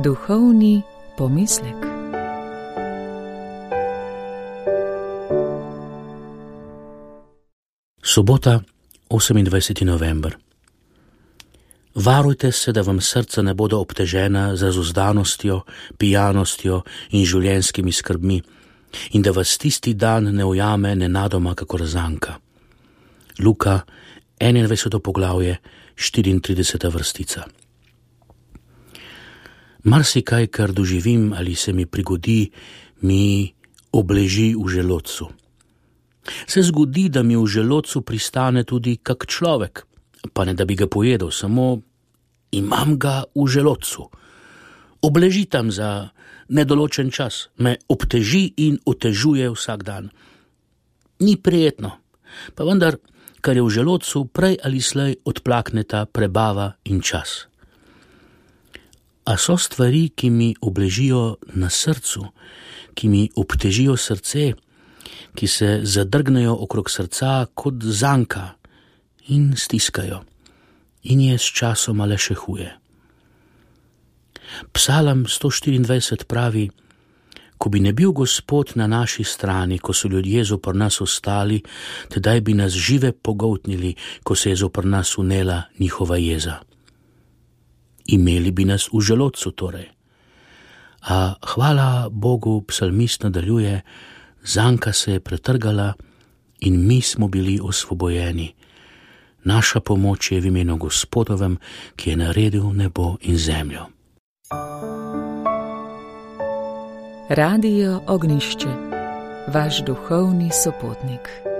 Duhovni pomislek. Sobota, 28. november. Varujte se, da vam srca ne bodo obtežena z razuzdanostjo, pijanostjo in življenjskimi skrbmi in da vas tisti dan ne ujame nenadoma kakor zanka. Luka, 21. poglavje, 34. vrstica. Marsikaj, kar doživim ali se mi prigodi, mi obleži v želodcu. Se zgodi, da mi v želodcu pristane tudi kak človek, pa ne da bi ga pojedel, samo imam ga v želodcu. Obleži tam za nedoločen čas, me obteži in otežuje vsak dan. Ni prijetno, pa vendar, kar je v želodcu, prej ali slej odplakneta prebava in čas. A so stvari, ki mi obležijo na srcu, ki mi obtežijo srce, ki se zadrgnejo okrog srca kot zanka in stiskajo in je s časoma le še huje. Psalam 124 pravi: ko bi ne bil Gospod na naši strani, ko so ljudje zopr nas ostali, tedaj bi nas žive pogoltnili, ko se je zopr nas unela njihova jeza. Imeli bi nas v želodcu torej. A hvala Bogu, psalmist nadaljuje, zanka se je pretrgala in mi smo bili osvobojeni. Naša pomoč je v imenu Gospodovem, ki je naredil nebo in zemljo. Radio Ognjišče, vaš duhovni sopotnik.